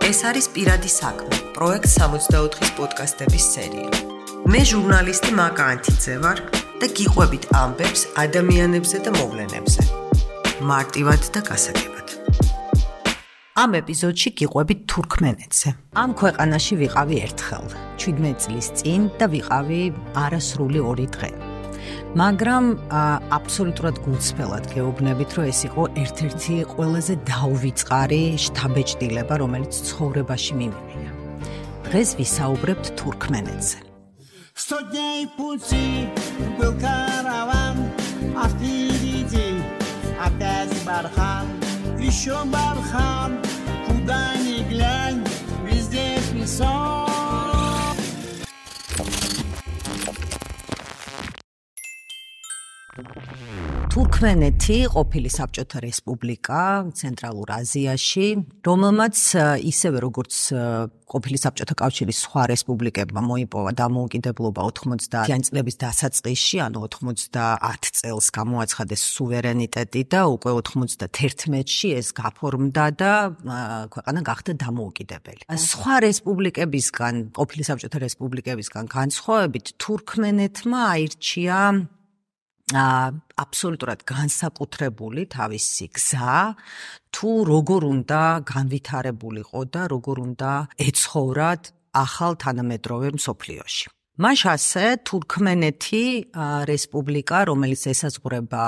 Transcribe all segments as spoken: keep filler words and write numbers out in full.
ეს არის პირადი საქმე, პროექტ სამოცდაოთხის პოდკასტების სერია. მე ჟურნალისტი მაკა ანთიძე ვარ და გიყვებით ამბებს ადამიანებზე და მოვლენებზე. მარტივად და გასაგებად. ამ ეპიზოდში გიყვებით თურქმენეთზე. ამ ქვეყანაში ვიყავი ერთხელ, ჩვიდმეტ წლის წინ და ვიყავი არასრული ორი დღე. მაგრამ აბსოლუტურად გულწრფელად გეუბნებით, რომ ეს იყო ერთ-ერთი ყველაზე დაუვიწყარი შთაბეჭდილება, რომელიც ცხოვრებაში მიმიღია. დღეს ვისაუბრებთ თურქმენეთზე. Stodniej płuci był karawan, a wpierdzie опять бархан, еще бархан, куда ни глянь, везде песок. თურქმენეთი ყოფილი საბჭოთა რესპუბლიკა ცენტრალურ აზიაში, რომელმაც ისევე როგორც ყოფილი საბჭოთა კავშირის სხვა რესპუბლიკებმა მოიპოვა დამოუკიდებლობა ოთხმოცდაათი წლების დასაწყისში, ანუ ოცდაათ წელს გამოაცხადეს სუვერენიტეტი და უკვე ოთხმოცდაათში ეს გაფორმდა და ქვეყანა გახდა დამოუკიდებელი. სხვა რესპუბლიკებისგან, ყოფილი საბჭოთა რესპუბლიკებისგან განსხვავებით, თურქმენეთმა აირჩია აბსოლუტურად განსაკუთრებული თავისი გზა, თუ როგორ უნდა განვითარებულიყო და როგორ უნდა ეცხოვრათ ახალ თანამედროვე მსოფლიოში. მაშასე თურქმენეთი რესპუბლიკა, რომელიც ესაზღვრება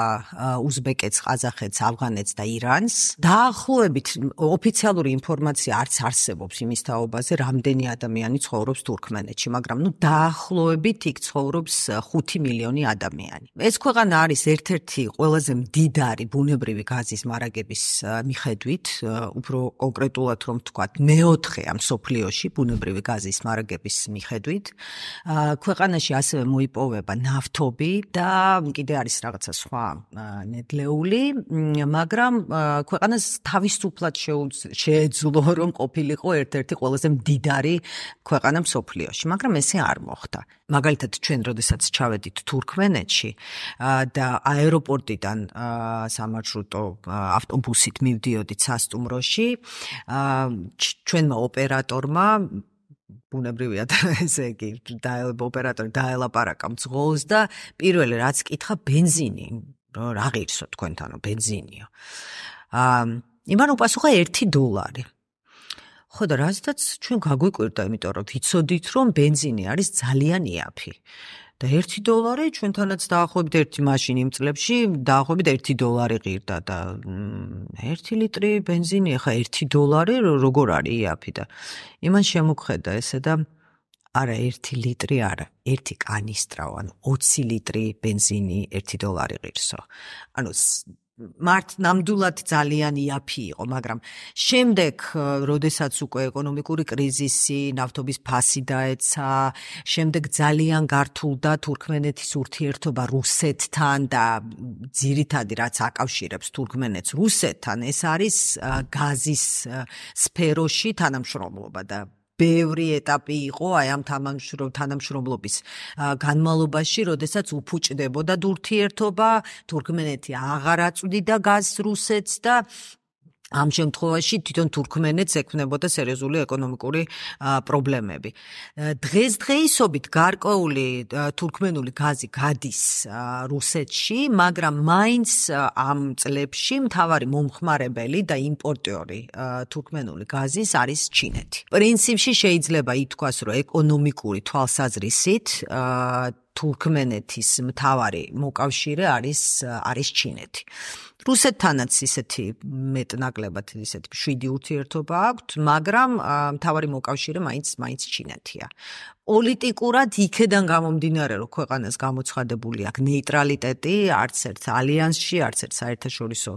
უზბეკეთს, ყაზახეთს, ავღანეთს და ირანს, დაახლოებით ოფიციალური ინფორმაცია არც არსებობს იმის თაობაზე, რამდენი ადამიანი ცხოვრობს თურქმენეთში, მაგრამ ნუ დაახლოებით იქ ცხოვრობს ხუთი მილიონი ადამიანი. ეს ქვეყანა არის ერთ-ერთი ყველაზე მდიდარი ბუნებრივი გაზის მარაგების მიხედვით, უფრო კონკრეტულად რომ ვთქვათ, მეოთხე ამ მსოფლიოში ბუნებრივი გაზის მარაგების მიხედვით. ქვეყანაში ასევე მოიპოვება ნავთობი და კიდე არის რაღაცა სხვა ნედლეული, მაგრამ ქვეყანას თავისუფლად შეეძლო რომ ყოფილიყო ერთ-ერთი ყველაზე მდიდარი ქვეყანა მსოფლიოში, მაგრამ ესე არ მოხდა. მაგალითად, ჩვენ როდესაც ჩავედით თურქმენეთში და აეროპორტიდან სამარშრუტო ავტობუსით მივდიოდით სასტუმროში, ჩვენმა ოპერატორმა ბუნებრივია და ესე იგი ოპერატორი დაელაპარაკა მძღოლს და პირველი რაც კითხა ბენზინი, რომ რა ღირსო თქვენთანო ბენზინიო. იმან უპასუხა ერთი დოლარი. ხო და რაზედაც ჩვენ გაგვიკვირდა, იმიტომ რომ ვიცოდით რომ ბენზინი არის ძალიან იაფი. და ერთი დოლარი ჩვენთანაც დაახლოებით ერთი მაშინ იმ წლებში დაახლოებით ერთი დოლარი ღირდა და ერთი ლიტრი ბენზინი ახლა ერთი დოლარი როგორ არის იაფი და იმან შემოგხედა ესე და არა ერთი ლიტრი არა, ერთი კანისტრა, ანუ ოცი ლიტრი ბენზინი ერთი დოლარი ღირსო. ანუ მართ ნამდვილად ძალიან იაფი იყო, მაგრამ შემდეგ, როდესაც უკვე ეკონომიკური კრიზისი, ნავთობის ფასი დაეცა, შემდეგ ძალიან გართულდა თურქმენეთის ურთიერთობა რუსეთთან და ძირითადი რაც აკავშირებს თურქმენეთს რუსეთთან, ეს არის გაზის სფეროში თანამშრომლობა და ბევრი ეტაპი იყო აი ამ თანამშრომლობის განმავლობაში, როდესაც უფუჭდებოდა ურთიერთობა, თურქმენეთი აღარ აწვდიდა გაზს რუსეთს და ამ შემთხვევაში თვითონ თურქმენეთს ექმნებოდა სერიოზული ეკონომიკური პრობლემები. დღესდღეობით გარკვეული თურქმენული გაზი გადის რუსეთში, მაგრამ მაინც ამ წლებში მთავარი მომხმარებელი და იმპორტიორი თურქმენული გაზის არის ჩინეთი. პრინციპში შეიძლება ითქვას, რომ ეკონომიკური თვალსაზრისით თურქმენეთის მთავარი მოკავშირე არის არის ჩინეთი. რუსეთთანაც ისეთი მეტნაკლებად ისეთი შვიდი ურთიერთობა აქვთ, მაგრამ მთავარი მოკავშირე მაინც მაინც ჩინეთია. პოლიტიკურად იქედან გამომდინარე, რომ ქვეყანას გამოცხადებული აქვს ნეიტრალიტეტი, არც ერთ ალიანსში, არც ერთ საერთაშორისო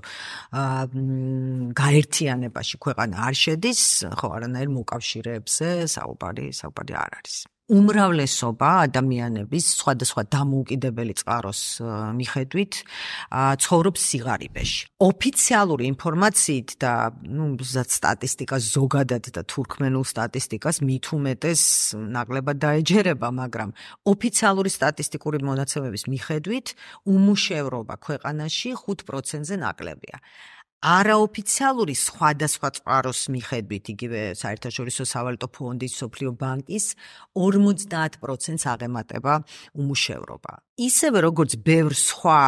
გაერთიანებაში ქვეყანა არ შედის, ხო, არანაირ მოკავშირეებზე საუბარი საუბარი არ არის. უმრავლესობა ადამიანების სხვადასხვა დამოუკიდებელი წყაროს მიხედვით ცხოვრობს სიღარიბეში. ოფიციალური ინფორმაციით და ნუ სტატისტიკას ზოგადად და თურქმენულ სტატისტიკას მით უმეტეს ნაკლებად დაეჯერება, მაგრამ ოფიციალური სტატისტიკური მონაცემების მიხედვით უმუშევრობა ქვეყანაში ხუთ პროცენტზე ნაკლებია. არაოფიციალური სხვადასხვა წყაროს მიხედვით, იგივე საერთაშორისო სავალუტო ფონდის, მსოფლიო ბანკის ორმოცდაათ პროცენტს აღემატება უმუშევრობა. ისევე როგორც ბევრ სხვა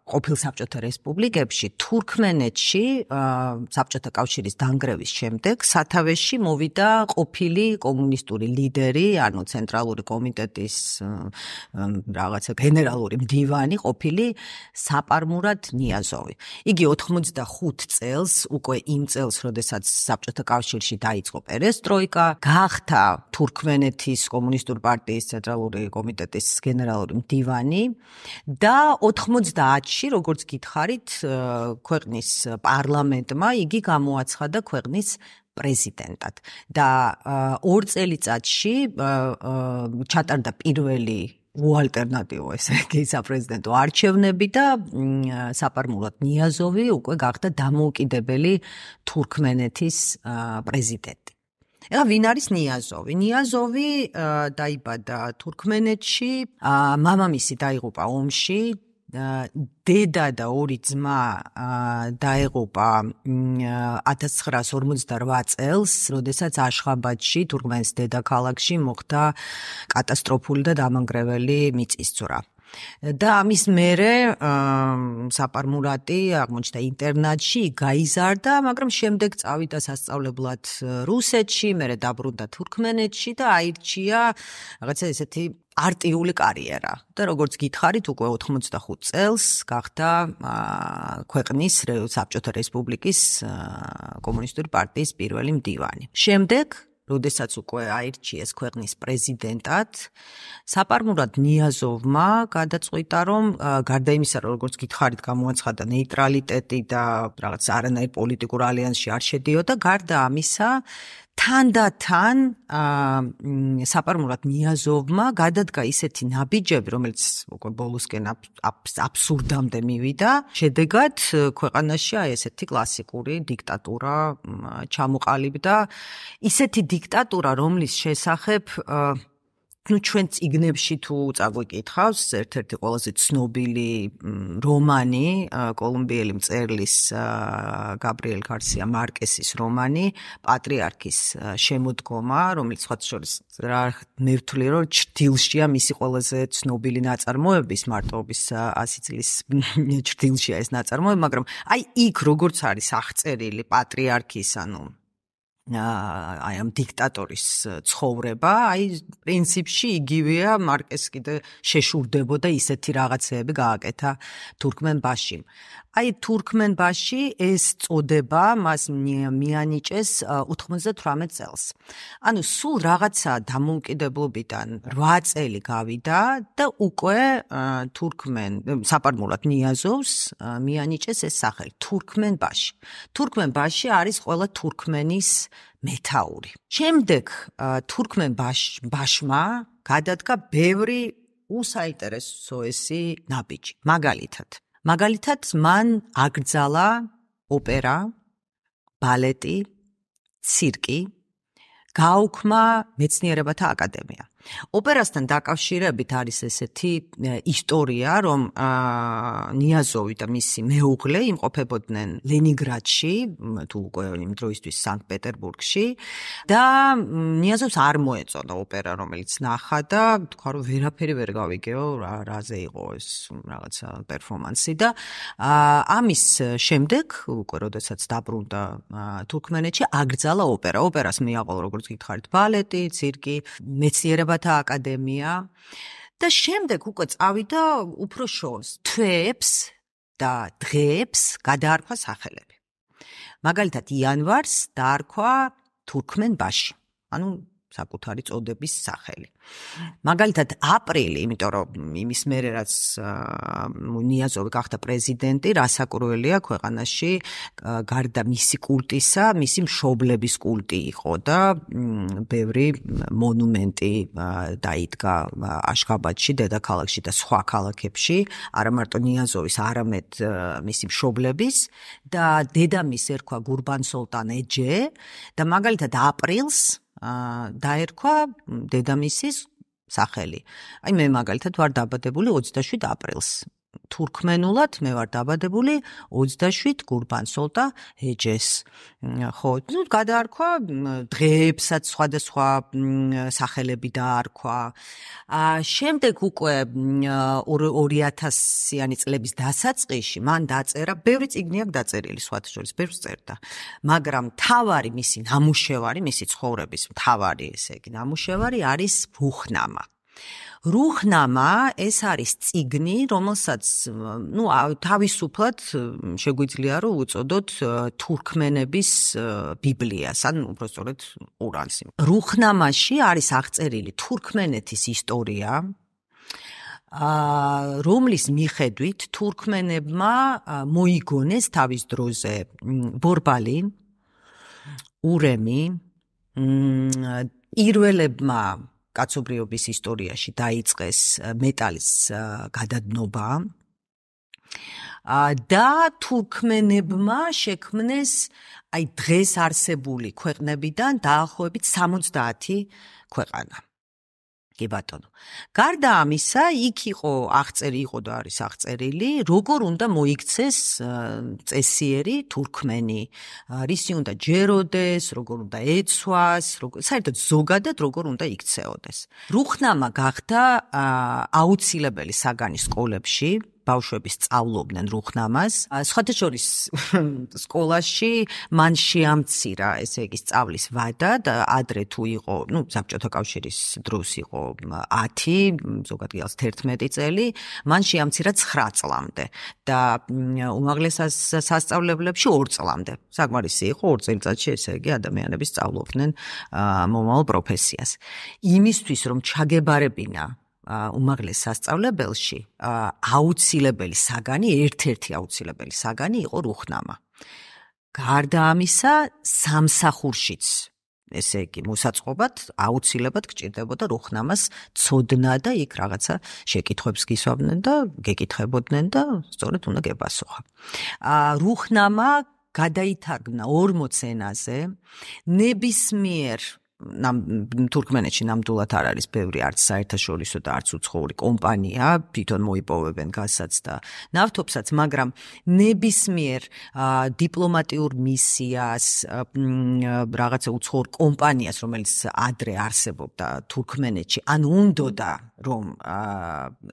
ყოფილ საბჭოთა რესპუბლიკებში, თურქმენეთში საბჭოთა კავშირის დანგრევის შემდეგ სათავეში მოვიდა ყოფილი კომუნისტური ლიდერი, ანუ ცენტრალური კომიტეტის რაღაცა გენერალური მდივანი, ყოფილი საპარმურად ნიაზოვი. იგი ოცდახუთ წელს, უკვე იმ წელს, როდესაც საბჭოთა კავშირში დაიწყო პერესტროიკა, გახდა თურქმენეთის კომუნისტური პარტიის ცენტრალური კომიტეტის გენერალური მდივანი და ოცდაათში, როგორც გითხარით, ქვეყნის პარლამენტმა იგი გამოაცხადა ქვეყნის პრეზიდენტად და ორ წელიწადში ჩატარდა პირველი უალტერნატივო ესე იგი საპრეზიდენტო არჩევნები და საპარმულად ნიაზოვი უკვე გახდა დამოუკიდებელი თურქმენეთის პრეზიდენტი. ეხლა ვინ არის ნიაზოვი? ნიაზოვი დაიბადა თურქმენეთში, მამამისი დაიღუპა ომში, დედა და ორი ძმა დაეღუპა ათას ცხრაას ორმოცდარვა წელს, როდესაც აშხაბადში, თურქმენის დედაქალაქში მოხდა კატასტროფული და დამანგრეველი მიწისძვრა. და ამის მერე საპარმურატი აღმოჩნდა ინტერნატში, გაიზარდა, მაგრამ შემდეგ წავიდა სასწავლებლად რუსეთში, მერე დაბრუნდა თურქმენეთში და აირჩია რაღაცა ესეთი პარტიული კარიერა. და როგორც გითხარით, უკვე ოცდახუთ წელს გახდა ქვეყნის საბჭოთა რესპუბლიკის კომუნისტური პარტიის პირველი მდივანი. შემდეგ როდესაც უკვე აირჩიეს ქვეყნის პრეზიდენტად, საპარმურად ნიაზოვმა გადაწყვიტა, რომ გარდა იმისა, რომ როგორც გითხარით, გამოაცხადა ნეიტრალიტეტი და რაღაც არანაირ პოლიტიკურ ალიანსში არ შედიოდა, გარდა ამისა, თანდათან საპარმურად ნიაზოვმა გადადგა ისეთი ნაბიჯები, რომელიც უკვე ბოლოსკენ აბსურდამდე მივიდა. შედეგად ქვეყანაში აი ესეთი კლასიკური დიქტატურა ჩამოყალიბდა. ისეთი დიქტატურა, რომლის შესახებ ну ჩვენ წიგნებში თუ წაგვიკითხავს, ერთ-ერთი ყველაზე ცნობილი რომანი, კოლუმბიელი მწერლის გაბრიელ გარსია მარკესის რომანი, პატრიარქის შემოდგომა, რომელიც სხვა შორის რა მე ვთვლი, რომ ჭრდილშია მისი ყველაზე ცნობილი ნაწარმოების, მარტოობის ასი წლის ჭრდილშია ეს ნაწარმოები, მაგრამ აი იქ როგორც არის აღწერილი პატრიარქის, ანუ აი ამ დიქტატორის ცხოვრება, აი პრინციპში იგივეა, მარკეს კიდე შეშურდებოდა ისეთი რაღაცეები გააკეთა თურქმენბაშიმ. აი თურქმენბაში ეს წოდება მას მიანიჭეს ოთხმოცდათვრამეტ წელს. ანუ სულ რაღაცა დამოუკიდებლობიდან რვა წელი გავიდა და უკვე თურქმენ საპარმულად ნიაზოვს მიანიჭეს ეს სახელი თურქმენბაში. თურქმენბაში არის ყველა თურქმენის მეთაური. შემდეგ თურქმენბაშმა გადადგა ბევრი უსაინტერესოესი ნაბიჯი. მაგალითად მაგალითად მან აკრძალა ოპერა, ბალეტი, ცირკი, გააუქმა მეცნიერებათა აკადემია. ოპერასთან დაკავშირებით არის ესეთი ისტორია, რომ ნიაზოვი და მისი მეუღლე იმყოფებოდნენ ლენინგრადში, თუ უკვე იმ დროისთვის სანქტ-პეტერბურგში და ნიაზოვს არ მოეწონა ოპერა, რომელიც ნახა და თქვა, რომ ვერაფერი ვერ გავიგეო, რაზე იყო ეს რაღაცა პერფორმანსი და ამის შემდეგ, უკვე როდესაც დაბრუნდა თურქმენეთში, აკრძალა ოპერა. ოპერას მიაყოლა, როგორც გითხარით, ბალეტი, ცირკი, მეცნიერება აკადემია და შემდეგ უკვე წავიდა უფრო შორს. თვეებს და დღეებს გადაარქვა სახელები. მაგალითად იანვარს დაარქვა თურქმენბაში, ანუ საკუთარი წოდების სახელი. მაგალითად აპრილი, იმიტომ რომ იმის მერე რაც ნიაზოვი გახდა პრეზიდენტი, რასაკურველია ქვეყანაში გარდა მისი კულტისა, მისი მშობლების კულტი იყო და ბევრი მონუმენტი დაიდგა აშხაბადში, დედაქალაქში და სხვა ქალაქებში, არა მარტო ნიაზოვის, არამედ მისი მშობლების და დედამისს ერქვა გურბან-სოლტან ეჯე და მაგალითად აპრილს დაერქვა დედამისის სახელი. აი მე მაგალითად ვარ დაბადებული ოცდაშვიდ აპრილს. თურქმენულად მე ვარ დაბადებული ოცდაშვიდ გურბანსოლტა ეჯეს. ხო, ну გადაარქვა დღეებსაც სხვადასხვა სახელები დაარქვა. შემდეგ უკვე ორი ათასიანი წლების დასაწყისში მან დაწერა, ბევრი წიგნი აქვს დაწერილი, სხვათა შორის ბევრს წერდა. მაგრამ მთავარი მისი ნამუშევარი, მისი ცხოვრების მთავარი, ესე იგი, ნამუშევარი არის რუხნამა. რუხნამა ეს არის წიგნი, რომელსაც, ну, თავისუფლად შეგვიძლია რომ უწოდოთ თურქმენების ბიბლიას, ან უბრალოდ ყურანს. რუხნამაში არის აღწერილი თურქმენეთის ისტორია, რომლის მიხედვით თურქმენებმა მოიგონეს თავის დროზე ბორბალი, ურემი, პირველებმა კაცობრიობის ისტორიაში დაიწყეს მეტალის გადადნობა და თურქმენებმა შექმნეს აი დღეს არსებული ქვეყნებიდან დაახლოებით სამოცდაათი ქვეყანა. კი ბატონო. გარდა ამისა, იქ იყო აღწერი, იყო და არის აღწერილი, როგორ უნდა მოიქცეს წესიერი თურქმენი, რისი უნდა ჯეროდეს, როგორ უნდა ეცვას, საერთოდ ზოგადად როგორ უნდა იქცეოდეს. რუხნამა გახდა აუცილებელი საგანი სკოლებში, ბავშვები სწავლობდნენ რუხნამას. სხვათა შორის სკოლაში მან შეამცირა, ესე იგი, სწავლის ვადა და ადრე თუ იყო, ну, საბჭოთა კავშირის დროს იყო ათი, ზოგადად გიალს თერთმეტი წელი, მან შეამცირა ცხრა წლამდე და უმაღლეს სასწავლებლებში ორ წლამდე. საკმარისი იყო ორ წელიწადში, ესე იგი, ადამიანები სწავლობდნენ მომავალ პროფესიას. იმისთვის, რომ ჩაგებარებინა უმაღლეს სასწავლებელში აუცილებელი საგანი, ერთ-ერთი აუცილებელი საგანი იყო რუხნამა. გარდა ამისა, სამსახურშიც, ესე იგი, მოსაწყობად აუცილებლად გჭირდებოდა რუხნამას ცოდნა და იქ რაღაცა შეკითხვებს გისვამდნენ და გეკითხებოდნენ და სწორედ უნდა გეპასუხა. რუხნამა გადაითარგმნა ორმოც ენაზე, ნებისმიერ თურქმენეთში ნამდვილად არ არის ბევრი არც საერთაშორისო და არც უცხოური კომპანია, თვითონ მოიპოვებენ გაზსაც და ნავთობსაც, მაგრამ ნებისმიერ დიპლომატიურ მისიას, რაღაცა უცხოურ კომპანიას, რომელიც ადრე არსებობდა თურქმენეთში, ან უნდოდა რომ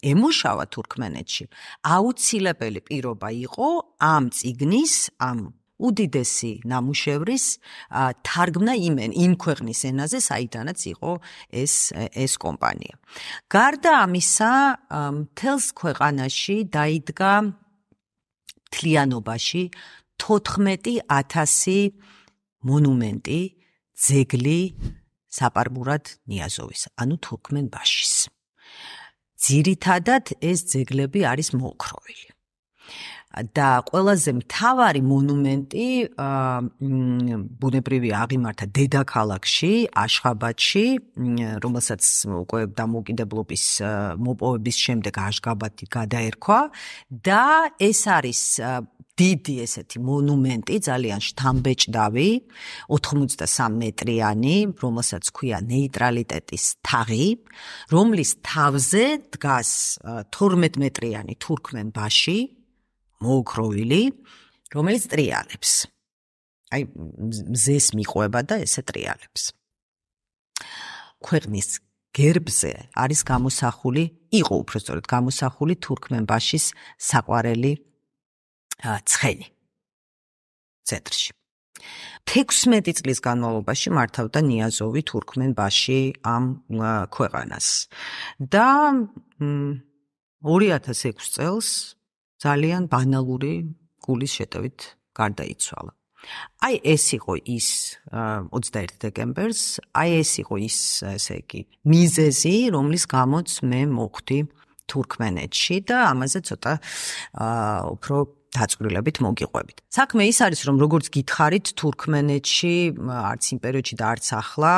ემუშავა თურქმენეთში, აუცილებელი პირობა იყო ამ წიგნის, ამ უდიდესი ნამუშევრის თარგმნა იმენ, იმ ქვეყნის ენაზე, საიდანაც იყო ეს ეს კომპანია. გარდა ამისა, მთელს ქვეყანაში დაიდგა მთლიანობაში თოთხმეტი ათასი მონუმენტი, ძეგლი საპარბურად ნიაზოვის, ანუ თურქმენბაშის. ძირითადად ეს ძეგლები არის მოოქროვილი. და ყველაზე მთავარი მონუმენტი ბუნებრივი აღიმართა დედაქალაქში, აშხაბადში, რომელსაც უკვე დამოუკიდებლობის მოპოვების შემდეგ აშხაბადი გადაერქვა და ეს არის დიდი ესეთი მონუმენტი, ძალიან შთამბეჭდავი, ოთხმოცდასამ მეტრიანი, რომელსაც ქვია ნეიტრალიტეტის თაღი, რომლის თავზე დგას თორმეტ მეტრიანი თურქმენბაში, მოოქროვილი, რომელიც ტრიალებს. აი, მზეს მიყვება და ესე ტრიალებს. ქვეყნის გერბზე არის გამოსახული, იყო უბრალოდ გამოსახული თურქმენბაშის საყვარელი ცხენი ცენტრში. თექვსმეტი წლის განმავლობაში მართავდა ნიაზოვი თურქმენბაში ამ ქვეყანას. და ორი ათას ექვსი წელს ძალიან ბანალური გულის შეტევით გარდაიცვალა. აი ეს იყო ის ოცდაერთი დეკემბერს, აი ეს იყო ის, ესე იგი, მიზეზი, რომლის გამოც მე მოხვდი თურქმენეთში და ამაზე ცოტა უფრო დაწვრილებით მოგიყვებით. საქმე ის არის, რომ როგორც გითხარით, თურქმენეთში არც იმ პერიოდში და არც ახლა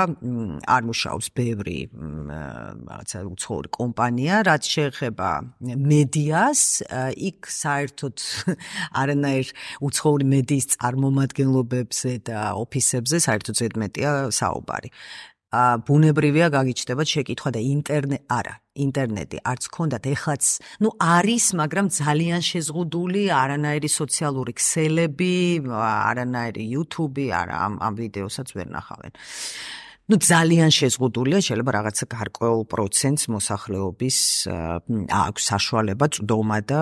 არ მუშაობს ბევრი რაღაცა უცხოური კომპანია, რაც შეეხება მედიას, იქ საერთოდ არანაირ უცხოური მედიის წარმომადგენლობებზე და ოფისებზე საერთოდ ზედმეტია საუბარი. ბუნებრივია გაგიჩნდებათ შეკითხვა და ინტერნეტ არა ინტერნეტი არც ქონდათ, ეხლაც ნუ არის, მაგრამ ძალიან შეზღუდული, არანაირი სოციალური ქსელები, არანაირი YouTube-ი, არა ამ ამ ვიდეოსაც ვერ ნახავენ. ნუ ძალიან შეზღუდულია, შეიძლება რაღაცა გარკვეულ პროცენტს მოსახლეობის აქვს საშუალება წვდომა და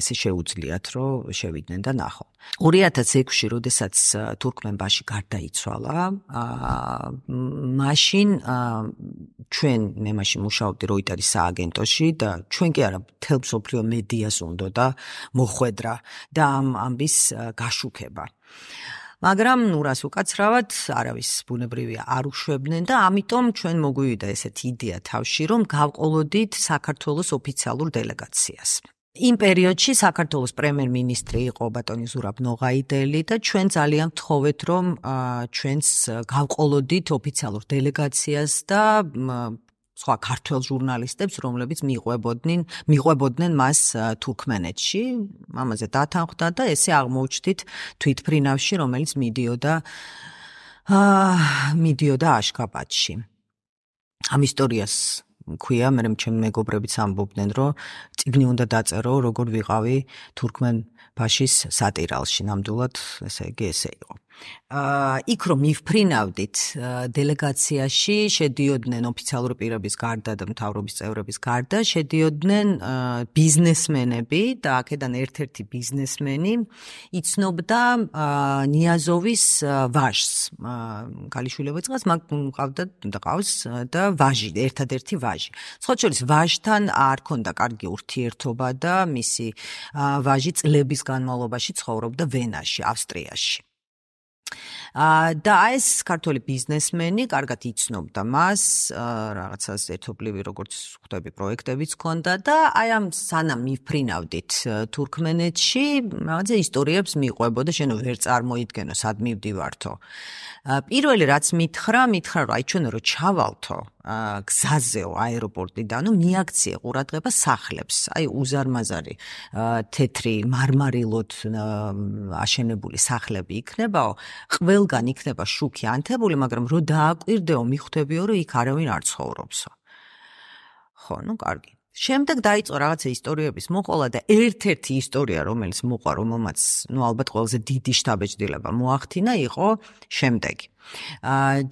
ესე შეუძლიათ, რომ შევიდნენ და ნახონ. ორი ათას ექვსში, როდესაც თურქმენბაში გარდაიცვალა, მაშინ ჩვენ მე მაშინ მუშაობდი როიტერის სააგენტოში და ჩვენ კი არა მთელ მსოფლიო მედიას უნდოდა მოხვედრა და ამ ამბის გაშუქება. მაგრამ ნუ რას უკაცრავად, არავის ბუნებრივია არ უშვებდნენ და ამიტომ ჩვენ მოგვივიდა ესეთი იდეა თავში, რომ გავყოლოდით საქართველოს ოფიციალურ დელეგაციას. იმ პერიოდში საქართველოს პრემიერ-მინისტრი იყო ბატონი ზურაბ ნოღაიდელი და ჩვენ ძალიან ვთხოვეთ, რომ ჩვენს გავყოლოდით ოფიციალურ დელეგაციას და სხვა ქართველ ჟურნალისტებს, რომლებიც მიყვებოდნენ, მიყვებოდნენ მას თურქმენეთში, ამაზე დათანხმდა და ესე აღმოუჩნდით თვითფრინავში, რომელიც მიდიოდა მიდიოდა აშქაბადში. ამ ისტორიას მქვია, მე ჩემი მეგობრებიც ამბობდნენ, რომ წიგნი უნდა დაწერო, როგორ ვიყავი თურქმენბაშის სატირალში, ნამდვილად, ესე იგი ესე იყო. იქ რომ მივფრინავდით დელეგაციაში შედიოდნენ ოფიციალური პირების გარდა და მთავრობის წევრების გარდა შედიოდნენ ბიზნესმენები და აქედან ერთ-ერთი ბიზნესმენი იცნობდა ნიაზოვის ვაჟს. ქალიშვილება იწყებს, მაგ მყავდა და ყავს და ვაჟი, ერთადერთი ვაჟი. სხვა შორის ვაჟთან არ ქონდა კარგი ურთიერთობა და მისი ვაჟი წლების განმავლობაში ცხოვრობდა ვენაში, ავსტრიაში. და ეს ქართველი ბიზნესმენი კარგად იცნობდა მას, რაღაცას ერთობლივი როგორც ხვდები პროექტებიც ჰქონდა და აი ამ სანამ მიფრინავდით თურქმენეთში, რაღაცა ისტორიებს მიყვებოდა, შენ ვერ წარმოიდგენო, სად მივდივართო. პირველი რაც მითხრა, მითხრა რომ აი ჩვენ რო ჩავალთო გზაზეო აეროპორტიდან, ნუ მიაქციე ყურადღება სახლებს, აი უზარმაზარი თეთრი მარმარილოდ აშენებული სახლები იქნებაო, ყველგან იქნება შუქი ანთებული, მაგრამ რო დააკვირდეო, მიხვდებიო, რომ იქ არავინ არ ცხოვრობსო. ხო, ნუ კარგი. შემდეგ დაიწყო რაღაცა ისტორიების მოყოლა და ერთ-ერთი ისტორია, რომელიც მოყვა, რომელმაც, ნუ ალბათ ყველაზე დიდი შთაბეჭდილება მოახდინა, იყო შემდეგი.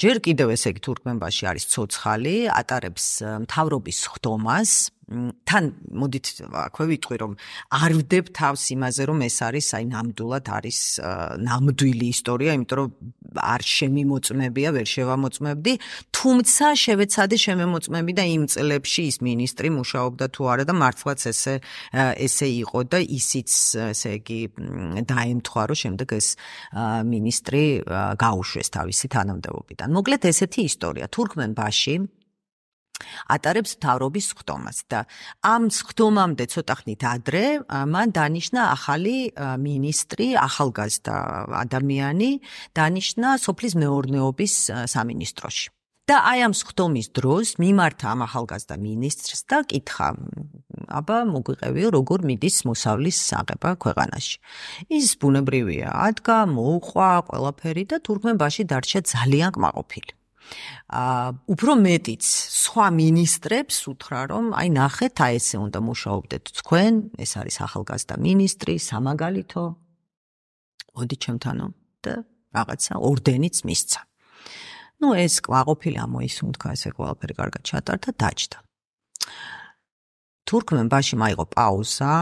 ჯერ კიდევ ესე იგი თურქმენბაში არის ცოცხალი, ატარებს მთავრობის ხდომას, თან მოდით აქვე ვიტყვი, რომ არ ვდებ თავს იმაზე, რომ ეს არის აი ნამდვილად არის ნამდვილი ისტორია, იმიტომ რომ არ შემიმოწმებია, ვერ შევამოწმებდი, თუმცა შევეცადე შემემოწმები და იმ წლებში ის მინისტრი მუშაობდა თუ არა და მართლაც ესე ესე იყო და ისიც ესე იგი დაემთხვა, რომ შემდეგ ეს მინისტრი გაუშვეს თავისი თანამდებობიდან. მოკლედ ესეთი ისტორია. თურქმენბაში ატარებს მთავრობის ხდომას და ამ ხდომამდე ცოტა ხნით ადრე მან დანიშნა ახალი მინისტრი, ახალგაზრდა ადამიანი, დანიშნა სოფლის მეურნეობის სამინისტროში. და აი ამ ხდომის დროს მიმართა ამ ახალგაზრდა მინისტრს და კითხა, აბა მოგვიყევიო, როგორ მიდის მოსავლის აღება ქვეყანაში. ის ბუნებრივია, ადგა, მოუყვა ყველაფერი და თურქმენბაში დარჩა ძალიან კმაყოფილი. Uh, უფრო მეტიც სხვა მინისტრებს უთხრა, რომ აი ნახეთ, აი ესე უნდა მუშაობდეთ თქვენ, ეს არის ახალგაზრდა მინისტრი, სამაგალითო. მოდი ჩემთანო და რაღაცა ორდენიც მისცა. ნუ ეს კმაყოფილი ამოისუნთქა, ესე ყველაფერი კარგად ჩატარდა, დაჯდა. თურქმენბაში მაიღო პაუზა.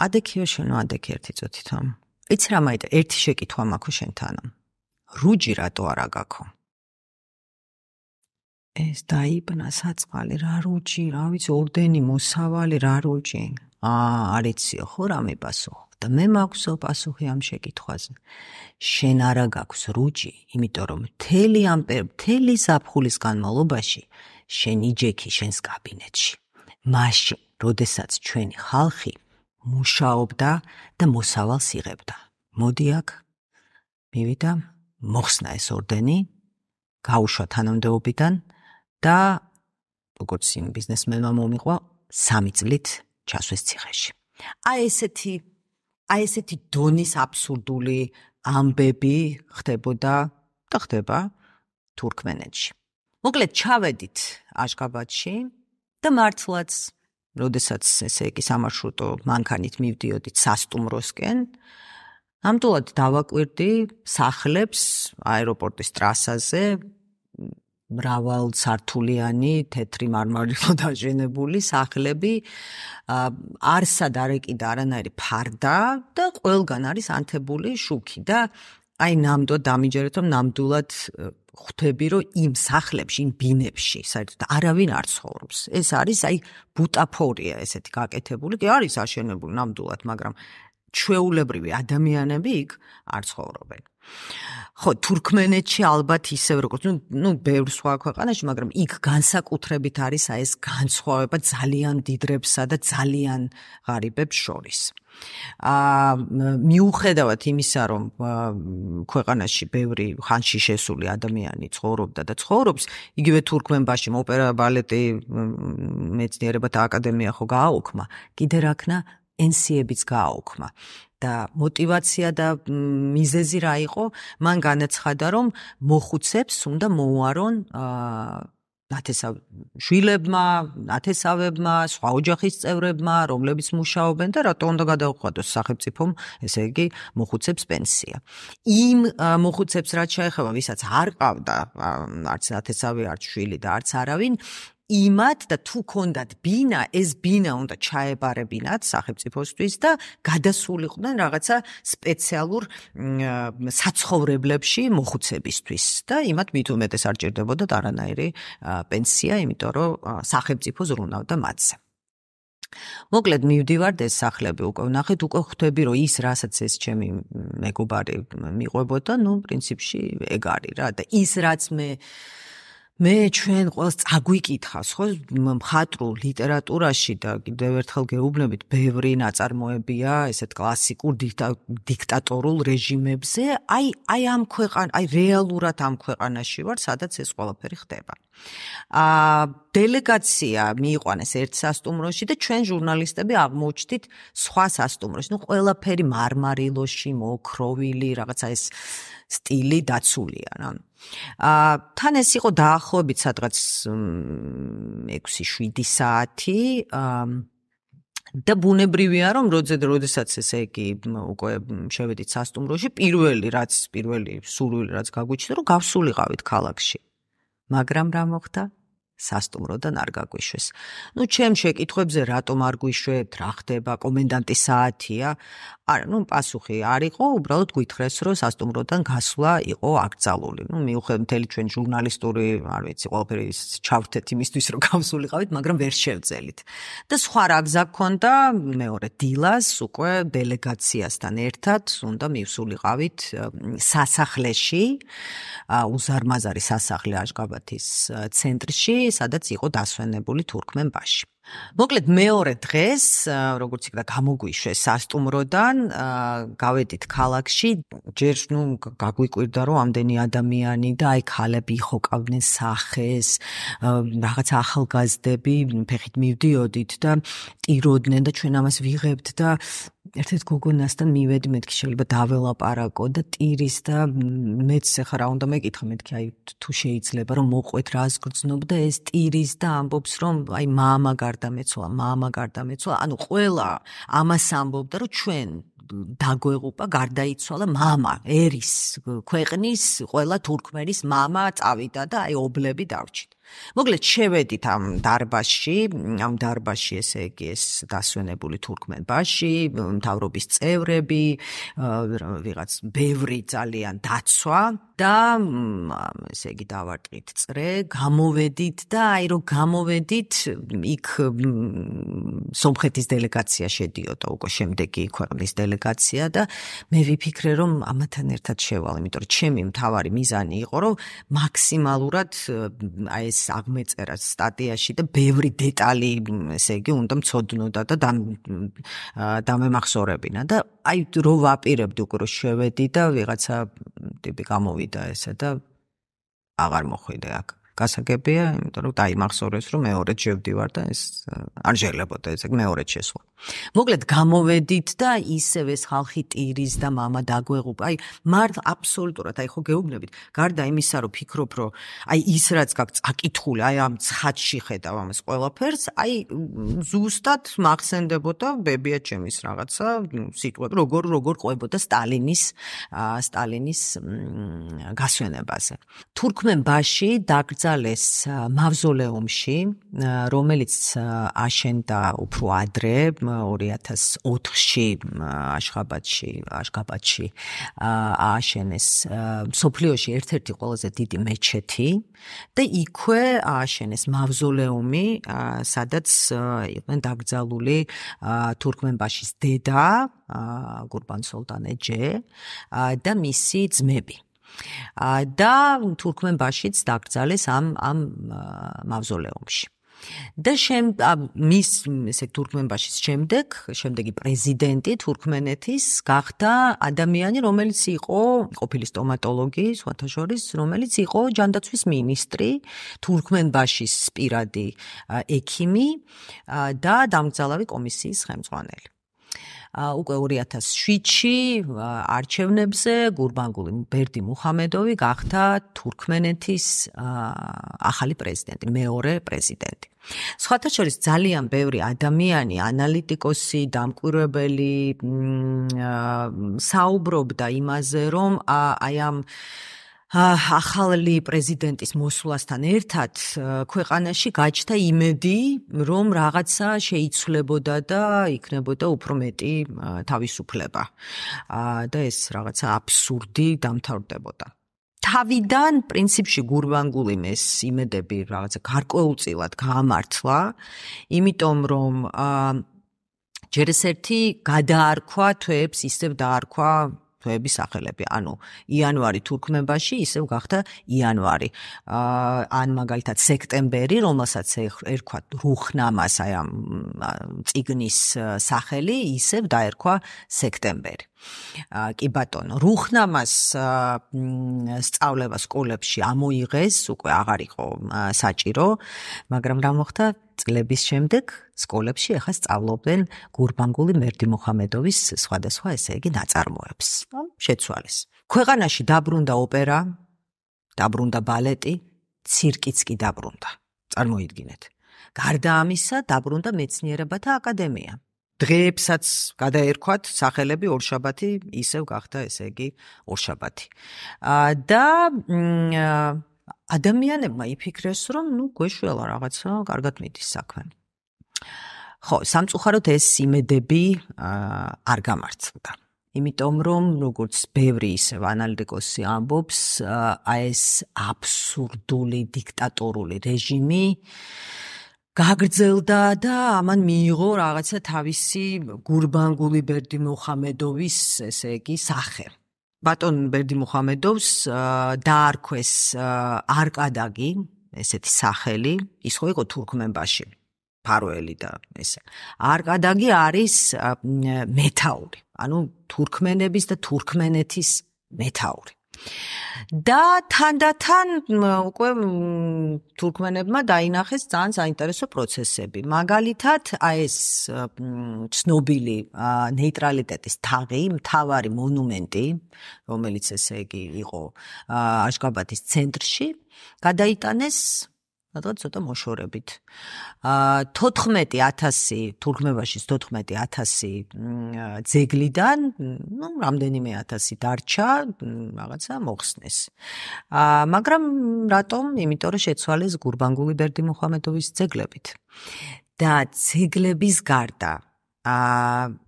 ადექიო შენო, ადექი ერთი წუთითო. იცი რა მაიტა, ერთი შეკითხვა მაქვს შენთანო. რუჯი რატო არ აგაქო? ეს დაიბნა საწყალი, რა რუჯი, რა ვიცი, ორდენი, მოსავალი, რა რუჯი. აა, არ იციო, ხო რა მიპასუხო. და მე მაქვსო პასუხი ამ შეკითხვაზე. შენ არა გაქვს რუჯი, იმიტომ რომ მთელი ამ მთელი ზაფხულის განმავლობაში შენ იჯექი შენს კაბინეტში. მაშინ, როდესაც ჩვენი ხალხი მუშაობდა და მოსავალს იღებდა. მოდი აქ, მივიდა, მოხსნა ეს ორდენი, გაუშვა თანამდებობიდან და როგორც იმ ბიზნესმენმა მომიყვა, სამი წლით ჩასვეს ციხეში. აი ესეთი, აი ესეთი დონის აბსურდული ამბები ხდებოდა და ხდება თურქმენეთში. მოკლედ ჩავედით აშქაბადში, და მართლაც, როდესაც ესე იგი სამარშრუტო მანქანით მივდიოდით სასტუმროსკენ, ნამდვილად დავაკვირდი სახლებს აეროპორტის ტრასაზე, მრავალ სართულიანი, თეთრი მარმარილო დაჟენებული სახლები, არსად არ ეკიდა არანაირი ფარდა და ყველგან არის ანთებული შუქი და აი ნამდვილად დამიჯერეთ, რომ ნამდვილად ხვდები, რომ იმ სახლებში, იმ ბინებში, საერთოდ არავინ არ ცხოვრობს. ეს არის აი ბუტაფორია ესეთი გაკეთებული, კი არის აშენებული ნამდვილად, მაგრამ ჩვეულებრივი ადამიანები იქ არ ცხოვრობენ. ხო, თურქმენეთში ალბათ ისევ როგორც, ну, ну, ბევრ სხვა ქვეყანაში, მაგრამ იქ განსაკუთრებით არის აი ეს განსხვავება ძალიან დიდრებსა და ძალიან ღარიბებს შორის. აა მიუხედავად იმისა, რომ ქვეყანაში ბევრი ხანში შესული ადამიანი ცხოვრობდა და ცხოვრობს, იგივე თურქმენბაში ოპერა, ბალეტი, მეცნიერებათა აკადემია ხო გააუქმა, კიდე რაქნა ენსიებიც გააუქმა. და мотивация და მიზეზი რა იყო? მან განაცხადა, რომ მოხუცებს უნდა მოუარონ ნათესავ შვილებმა, ნათესავებმა, სხვა ოჯახის წევრებმა, რომლებიც მუშაობენ და რატო უნდა გადაუხადოს სახელმწიფომ, ესე იგი, მოხუცებს პენსია. იმ მოხუცებს რაც შეეხება, ვისაც არ ყავდა არც ნათესავი, არც შვილი და არც არავინ, იმათ და თუ ქონდათ ბინა, ეს ბინა უნდა ჩაებარებინათ სახელმწიფოსთვის და გადასულიყვნენ რაღაცა სპეციალურ საცხოვრებლებში მოხუცებისთვის და იმათ მით უმეტეს არ ჭირდებოდათ არანაირი პენსია, იმიტომ რომ სახელმწიფო ზრუნავდა მათზე. მოკლედ მივდივართ ეს სახლები უკვე ვნახეთ, უკვე ხვდები, რომ ის რასაც ეს ჩემი მეგობარი მიყვებოდა, ну, პრინციპში ეგ არის რა და ის რაც მე მე ჩვენ ყველს წაგვიკითხავს, ხო, მხატვრულ ლიტერატურაში და კიდევ ერთხელ გეუბნებით, ბევრი ნაწარმოებია ესეთ კლასიკურ დიქტატორულ რეჟიმებზე, აი აი ამ ქვეყან, აი რეალურად ამ ქვეყანაში ვარ, სადაც ეს ყველაფერი ხდება. აა დელეგაცია მიიყვანეს ერთ სასpracoმროში და ჩვენ ჟურნალისტები აღმოჩნდით სხვა სასტუმროში. ნუ ყველაფერი მარმარილოში, მოოქროვილი, რაღაცა ეს სტილი დაცულია რა. აა თან ეს იყო დაახლოებით სადღაც ექვსი შვიდი საათი აა და ბუნებრივია რომ როდესაც ესე იგი უკვე შევედით სასტუმროში, პირველი რაც პირველი სურვილი რაც გაგვიჩნდა რომ გავსულიყავით ქალაქში. მაგრამ რა მოხდა? სასტუმროდან არ გაგვიშვეს. ნუ ჩემ შეკითხვებზე რატომ არ გვიშვეთ, რა ხდება, კომენდანტის საათია? არა, ნუ პასუხი არ იყო, უბრალოდ გვითხრეს, რომ სასტუმროდან გასვლა იყო აკრძალული. ნუ მიუხედავად მთელი ჩვენ ჟურნალისტური, არ ვიცი, ყველაფერი ჩავრთეთ იმისთვის, რომ გავსულიყავით, მაგრამ ვერ შევძელით. და სხვა რა გზა გქონდა, მეორე დილას უკვე დელეგაციასთან ერთად უნდა მივსულიყავით სასახლეში, უზარმაზარი სასახლე აშკაბათის ცენტრში, სადაც იყო დასვენებული თურქმენბაში. მოკლედ მეორე დღეს, როგორც იქნა გამოგვიშვეს სასტუმროდან, გავედით ქალაქში, ჯერ ნუ გაგვიკვირდა რომ ამდენი ადამიანი და აი ქალები იხოკავდნენ სახეს, რაღაც ახალგაზრდები ფეხით მივდიოდით და ტიროდნენ და ჩვენ ამას ვიღებთ და ერთ-ერთ გოგონასთან მივედი, მეთქი შეიძლება დაველაპარაკო და ტირის და მეც ახლა რა უნდა მეკითხა, მეთქი აი თუ შეიძლება რომ მოყვეთ რას გრძნობ და ეს ტირის და ამბობს რომ აი მამა გარდამეცვალა, მამა გარდამეცვალა, ანუ ყველა ამას ამბობდა რომ ჩვენ დაგვეღუპა, გარდაიცვალა მამა, ერის ქვეყნის ყველა თურქმენის მამა წავიდა და აი ობლები დავრჩით. მოკლედ შევედით ამ დარბაზში, ამ დარბაზში ესე იგი ეს დასვენებული თურქმენბაში, მთავრობის წევრები, ვიღაც ბევრი ძალიან დაცვა და ესე იგი დავარტყით წრე, გამოვედით და აი რომ გამოვედით, იქ სომხეთის დელეგაცია შედიოდა, უკვე შემდეგი ქვეყნის დელეგაცია და მე ვიფიქრე რომ ამათან ერთად შევალ, იმიტომ რომ ჩემი მთავარი მიზანი იყო რომ მაქსიმალურად აი ეს აღმეწერა სტატიაში და ბევრი დეტალი, ესე იგი, უნდა მცოდნოდა და დამემახსოვრებინა და აი რო ვაპირებდი უკვე რომ შევედი და ვიღაცა ტიპი გამოვიდა ესე და აღარ მოხვიდე აქ. გასაგებია, იმიტომ რომ დაიმახსოვრეს, რომ მეორედ შევდივარ და ეს არ შეიძლება ესე მეორედ შესვლა. მოკლედ გამოვედით და ისევ ეს ხალხი ტირის და მამა დაგვეღუპა. აი, მართ აბსოლუტურად, აი ხო გეუბნებით, გარდა იმისა, რომ ფიქრობ, რომ აი ის რაც გაქვს აკითხული, აი ამ ცხადში ხედავ ამას ყველაფერს, აი ზუსტად მახსენდებოდა ბებია ჩემის რაღაცა სიტყვები, როგორ როგორ ყვებოდა სტალინის სტალინის გასვენებაზე. თურქმენბაში დაკრძალეს მავზოლეუმში, რომელიც აშენდა უფრო ადრე ორი ათას ოთხში აშხაბადში, აშხაბადში ააშენეს მსოფლიოში ერთ-ერთი ყველაზე დიდი მეჩეთი და იქვე ააშენეს მავზოლეუმი, სადაც იყვნენ დაკრძალული თურქმენბაშის დედა, გურბანსოლტანეჯე და მისი ძმები. და თურქმენბაშიც დაკრძალეს ამ ამ მავზოლეუმში. და შემ მის ესე თურქმენბაშის შემდეგ, შემდეგი პრეზიდენტი თურქმენეთის გახდა ადამიანი, რომელიც იყო ყოფილი სტომატოლოგი, სხვათა შორის, რომელიც იყო ჯანდაცვის მინისტრი, თურქმენბაშის პირადი ექიმი და დამგზავრავი კომისიის ხელმძღვანელი. უკვე ორი ათას შვიდში არჩევნებზე გურბანგული ბერდიმუხამედოვი გახდა თურქმენეთის ახალი პრეზიდენტი, მეორე პრეზიდენტი. სხვათა შორის ძალიან ბევრი ადამიანი, ანალიტიკოსი, დამკვირვებელი საუბრობდა იმაზე, რომ აი ამ ახალი პრეზიდენტის მოსვლასთან ერთად ქვეყანაში გაჩნდა იმედი, რომ რაღაცა შეიცვლებოდა და იქნებოდა უფრო მეტი თავისუფლება. და ეს რაღაცა აბსურდი დამთავრდებოდა. თავიდან პრინციპში გურბანგულიმ ეს იმედები რაღაცა გარკვეულწილად გაამართლა, იმიტომ რომ ჯერ ეს ერთი გადაარქვა თვეებს, ისევ დაარქვა თვეების სახელები, ანუ იანვარი თურქმენბაში ისევ გახდა იანვარი. ან მაგალითად სექტემბერი, რომელსაც ერქვა რუხნამას, აი ამ წიგნის სახელი, ისევ დაერქვა სექტემბერი. კი ბატონო, რუხნამას სწავლება სკოლებში ამოიღეს, უკვე აღარ იყო საჭირო, მაგრამ რა მოხდა წლების შემდეგ სკოლებში ახლა სწავლობდნენ გურბანგული ბერდიმუხამედოვის სხვადასხვა ესე იგი ნაწარმოებს. შეცვალეს. ქვეყანაში დაბრუნდა ოპერა, დაბრუნდა ბალეტი, ცირკიც კი დაბრუნდა. წარმოიდგინეთ. გარდა ამისა დაბრუნდა მეცნიერებათა აკადემია. დღეებსაც გადაერქვათ სახელები ორშაბათი, ისევ გახდა ესე იგი ორშაბათი. და ადამიანებმა იფიქრეს, რომ ნუ გვეშველა რაღაცა, კარგად მიდის საქმე. ხო, სამწუხაროდ ეს იმედები არ გამართლდა. იმიტომ რომ როგორც ბევრი ისევ ანალიტიკოსი ამბობს, ეს აბსურდული დიქტატორული რეჟიმი გაგრძელდა და ამან მიიღო რაღაცა თავისი გურბანგული ბერდიმუხამედოვის ესე იგი სახე. ბატონ ბერდიმუხამედოვს დაარქვეს არკადაგი, ესეთი სახელი, ის ხო იყო თურქმენბაში, ფაროელი და ესე. არკადაგი არის მეთაური, ანუ თურქმენების და თურქმენეთის მეთაური. და თანდათან უკვე თურქმენებმა დაინახეს ძალიან საინტერესო პროცესები. მაგალითად, აი ეს ცნობილი ნეიტრალიტეტის თაღი, მთავარი მონუმენტი, რომელიც ესე იგი იყო აშხაბადის ცენტრში, გადაიტანეს რადგან ცოტა მოშორებით. თოთხმეტი ათასი თურქმენბაშის თოთხმეტი ათასი ძეგლიდან, ну, რამდენიმე ათასი დარჩა, რაღაცა მოხსნეს. მაგრამ რატომ? იმიტომ რომ შეცვალეს გურბანგული ბერდიმუხამედოვის ძეგლებით. და ძეგლების გარდა,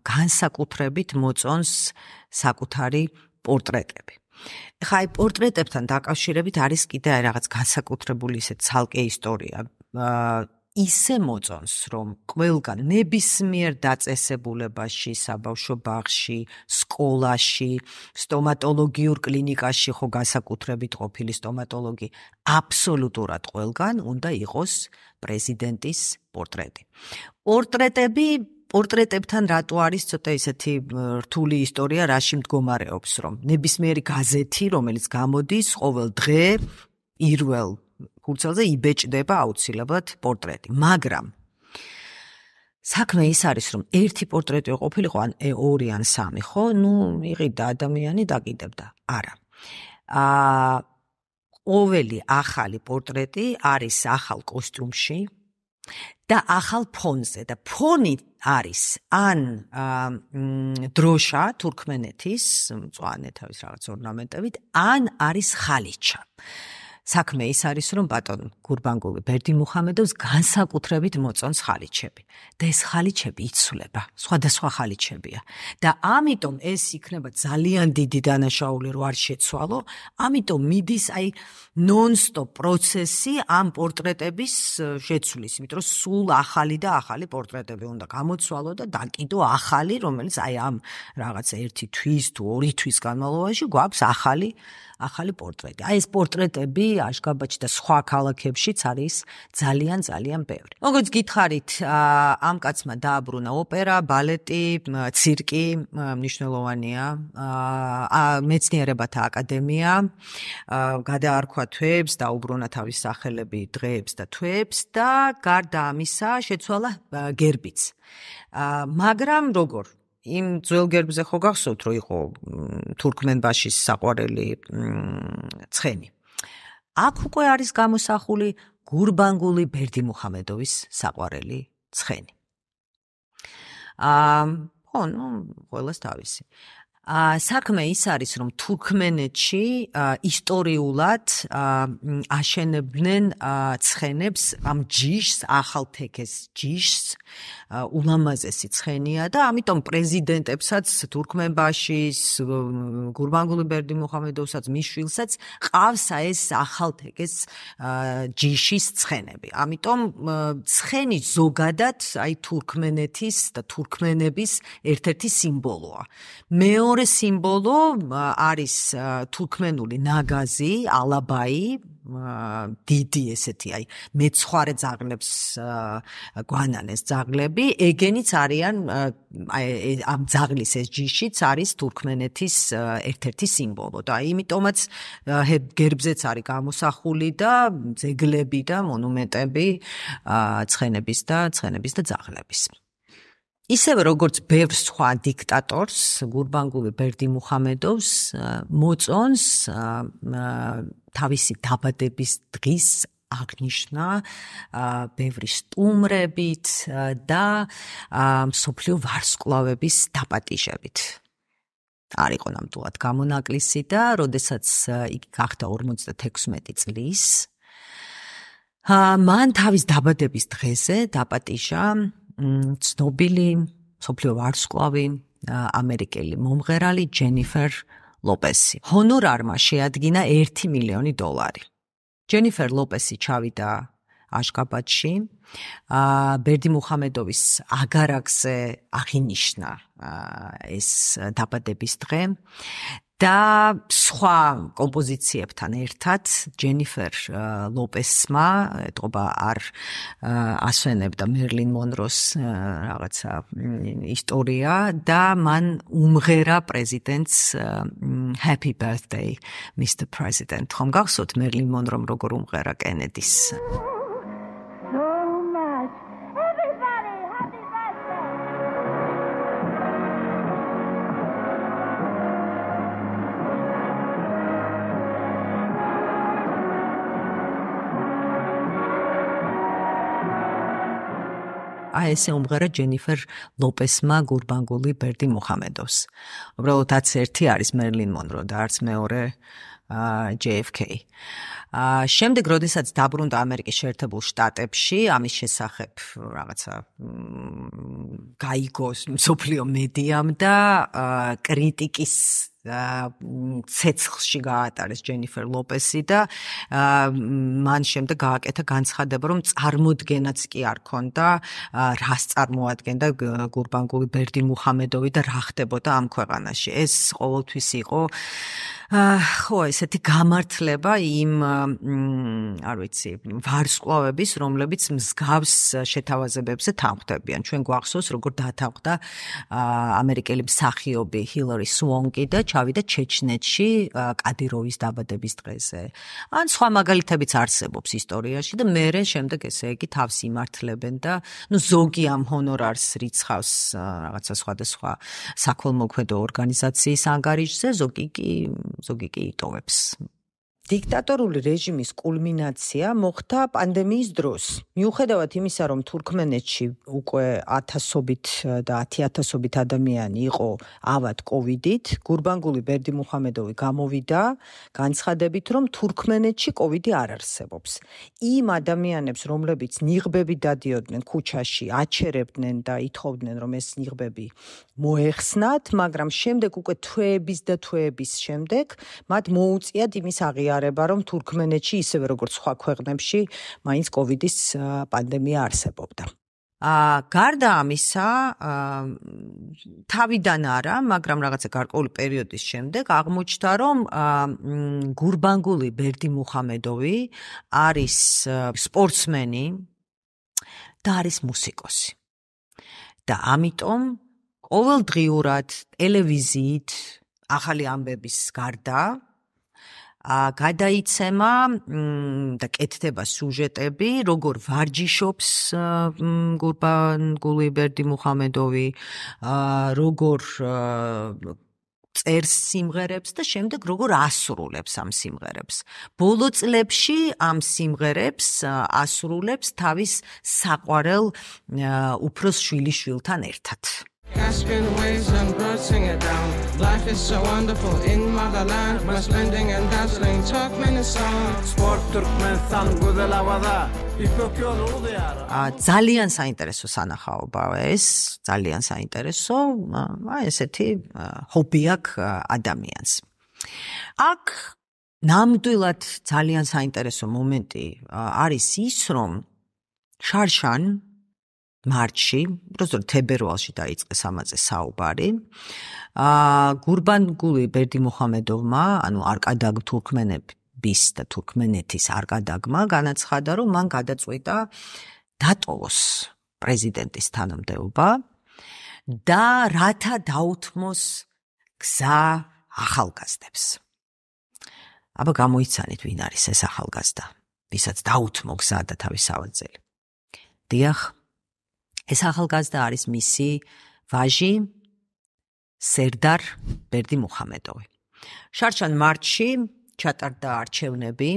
განსაკუთრებით მოწონს საკუთარი პორტრეტები. ხა აი პორტრეტებთან დაკავშირებით არის კიდე რაღაც განსაკუთრებული ისე ცალკე ისტორია. ისე მოწონს, რომ ყველგან ნებისმიერ დაწესებულებაში, საბავშვო ბაღში, სკოლაში, სტომატოლოგიურ კლინიკაში ხო განსაკუთრებით ყოფილი სტომატოლოგი, აბსოლუტურად ყველგან უნდა იყოს პრეზიდენტის პორტრეტი. პორტრეტები პორტრეტებთან რატო არის ცოტა ისეთი რთული ისტორია, რაში მდგომარეობს, რომ ნებისმიერი გაზეთი, რომელიც გამოდის ყოველ დღე, პირველ ფურცელზე იბეჭდება აუცილებლად პორტრეტი, მაგრამ საქმე ის არის, რომ ერთი პორტრეტი ყოფილიყო, ან ორი ან სამი, ხო? ნუ იყიდა ადამიანი დაკიდებდა. არა. აა ყოველი ახალი პორტრეტი არის ახალ კოსტიუმში და ახალ ფონზე და ფონი არის ან დროშა თურქმენეთის, მწვანე თავის რაღაც ორნამენტებით, ან არის ხალიჩა. საქმე ის არის, რომ ბატონ გურბანგული ბერდიმუხამედოვს განსაკუთრებით მოწონს ხალიჩები და ეს ხალიჩები იცვლება, სხვადასხვა ხალიჩებია და ამიტომ ეს იქნება ძალიან დიდი დანაშაული, რომ არ შეცვალო, ამიტომ მიდის აი ნონ-სტოპ პროცესი ამ პორტრეტების შეცვლის, იმიტომ რომ სულ ახალი და ახალი პორტრეტები უნდა გამოცვალო და დაკიდო ახალი, რომელიც აი ამ რაღაც ერთი თვის თუ ორი თვის განმავლობაში გვაქვს ახალი ახალი პორტრეტი. აი ეს პორტრეტები აშგაბადში და სხვა ქალაქებშიც არის ძალიან ძალიან ბევრი. როგორც გითხარით, ამ კაცმა დააბრუნა ოპერა, ბალეტი, ცირკი, მნიშვნელოვანია, მეცნიერებათა აკადემია, გადაარქვა თვეებს, დაუბრუნა თავის სახელები დღეებს და თვეებს და გარდა ამისა შეცვალა გერბიც. მაგრამ როგორ იმ ძველ გერბზე ხო გახსოვთ, რომ იყო თურქმენბაშის საყვარელი ცხენი. აქ უკვე არის გამოსახული გურბანგული ბერდიმუხამედოვის საყვარელი ცხენი. აა, ხო, ნუ, ყველას თავისი. საქმე ის არის, რომ თურქმენეთში ისტორიულად აშენებდნენ ცხენებს, ამ ჯიშს, ახალ თეკეს ჯიშს, ულამაზესი ცხენია და ამიტომ პრეზიდენტებსაც თურქმენბაშის, გურბანგული ბერდიმუხამედოვსაც, მის შვილსაც ყავს ეს ახალ თეკეს ჯიშის ცხენები. ამიტომ ცხენი ზოგადად აი თურქმენეთის და თურქმენების ერთ-ერთი სიმბოლოა. მეორე მეორე სიმბოლო არის თურქმენული ნაგაზი, ალაბაი, დიდი ესეთი, აი, მეცხვარე ძაღლებს გვანანეს ძაღლები, ეგენიც არიან, აი, ამ ძაღლის ეს ჯიშიც არის თურქმენეთის ერთ-ერთი სიმბოლო და იმიტომაც გერბზეც არის გამოსახული და ძეგლები და მონუმენტები ცხენების და ცხენების და ძაღლების. ისევე როგორც ბევრ სხვა დიქტატორს, გურბანგული ბერდიმუხამედოვს მოწონს თავისი დაბადების დღის აღნიშვნა ბევრი სტუმრებით და მსოფლიო ვარსკვლავების დაპატიჟებით. არ იყო ნამდვილად გამონაკლისი და როდესაც იგი გახდა ორმოცდათექვსმეტი წლის, მან თავის დაბადების დღეზე დაპატიჟა ცნობილი მსოფლიო ვარსკვლავი ამერიკელი მომღერალი ჯენიფერ ლოპესი. ჰონორარმა შეადგინა ერთი მილიონი დოლარი. ჯენიფერ ლოპესი ჩავიდა აშგაბადში, ბერდიმუხამედოვის აგარაკზე აღინიშნა ეს დაბადების დღე და სხვა კომპოზიციებთან ერთად ჯენიფერ ლოპესმა, ეთყობა არ ასვენებდა მერლინ მონროს რაღაცა ისტორია და მან უმღერა პრეზიდენტს Happy Birthday, Mister President. ხომ გახსოვთ მერლინ მონრომ როგორ უმღერა კენედის? აი ესე უმღერა ჯენიფერ ლოპესმა გურბანგული ბერდიმუხამედოვს. უბრალოდ არც ერთი არის მერლინ მონრო და არც მეორე ჯეი ეფ კეი. შემდეგ, როდესაც დაბრუნდა ამერიკის შეერთებულ შტატებში, ამის შესახებ რაღაცა გაიგო მსოფლიო მედიამ და კრიტიკის ცეცხლში გაატარეს ჯენიფერ ლოპესი და მან შემდეგ გააკეთა განცხადება, რომ წარმოდგენაც კი არ ქონდა, რას წარმოადგენდა გურბანგული ბერდიმუხამედოვი და რა ხდებოდა ამ ქვეყანაში. ეს ყოველთვის იყო ხო, ესეთი გამართლება იმ, არ ვიცი, ვარსკვლავების, რომლებიც მსგავს შეთავაზებებზე თანხმდებიან. ჩვენ გვახსოვს, როგორ დათანხმდა ამერიკელი მსახიობი ჰილარი სუონკი და ჩავიდა ჩეჩნეთში კადიროვის დაბადების დღეზე. ან სხვა მაგალითებიც არსებობს ისტორიაში და მერე შემდეგ ესე იგი თავს იმართლებენ და ნუ ზოგი ამ ჰონორარს რიცხავს რაღაცა სხვადასხვა საქველმოქმედო ორგანიზაციის ანგარიშზე, ზოგი კი ზოგი კი იტოვებს. დიქტატორული რეჟიმის კულმინაცია მოხდა პანდემიის დროს. მიუხედავად იმისა, რომ თურქმენეთში უკვე ათასობით და ათი ათასობით ადამიანი იყო ავად კოვიდით, გურბანგული ბერდიმუხამედოვი გამოვიდა განცხადებით, რომ თურქმენეთში კოვიდი არ არსებობს. იმ ადამიანებს, რომლებიც ნიღბები დადიოდნენ ქუჩაში, აჩერებდნენ და ითხოვდნენ, რომ ეს ნიღბები მოეხსნათ, მაგრამ შემდეგ უკვე თვეების და თვეების შემდეგ მათ მოუწიათ იმის აღიარება, რომ თურქმენეთში ისევე როგორც სხვა ქვეყნებში მაინც კოვიდის პანდემია არსებობდა. აა გარდა ამისა, თავიდან არა, მაგრამ რაღაცა გარკვეული პერიოდის შემდეგ აღმოჩნდა, რომ გურბანგული ბერდიმუხამედოვი არის სპორტსმენი და არის მუსიკოსი. და ამიტომ ყოველდღიურად ტელევიზიით ახალი ამბების გარდა გადაიცემა და კეთდება სიუჟეტები, როგორ ვარჯიშობს გურბანგული ბერდიმუხამედოვი, როგორ წერს სიმღერებს და შემდეგ როგორ ასრულებს ამ სიმღერებს. ბოლო წლებში ამ სიმღერებს ასრულებს თავის საყვარელ უფროს შვილიშვილთან ერთად. Cascade waves and birds sing it down. Life is so wonderful in motherland. My splending and dazzling Turkmenistan. Sport Turkmenistan გუდელავადა. ძალიან საინტერესო სანახაობაა ეს, ძალიან საინტერესო, აი ესეთი ჰობი აქვს ადამიანს. აქ ნამდვილად ძალიან საინტერესო მომენტი არის ის, რომ შარშან მარტში, უბრალოდ თებერვალში დაიწყეს ამაზე საუბარი. აა გურბანგული ბერდიმუხამედოვმა, ანუ არკადაგ თურქმენების და თურქმენეთის არკადაგმა განაცხადა, რომ მან გადაწყვიტა დატოვოს პრეზიდენტის თანამდებობა და რათა დაუთმოს გზა ახალგაზრდებს. აბა გამოიცანით, ვინ არის ეს ახალგაზრდა, ვისაც დაუთმო გზა და თავის ავაძელი. დიახ, ეს ახალგაზრდა არის მისი ვაჟი სერდარ ბერდიმუხამედოვი. შარშან მარტში ჩატარდა არჩევნები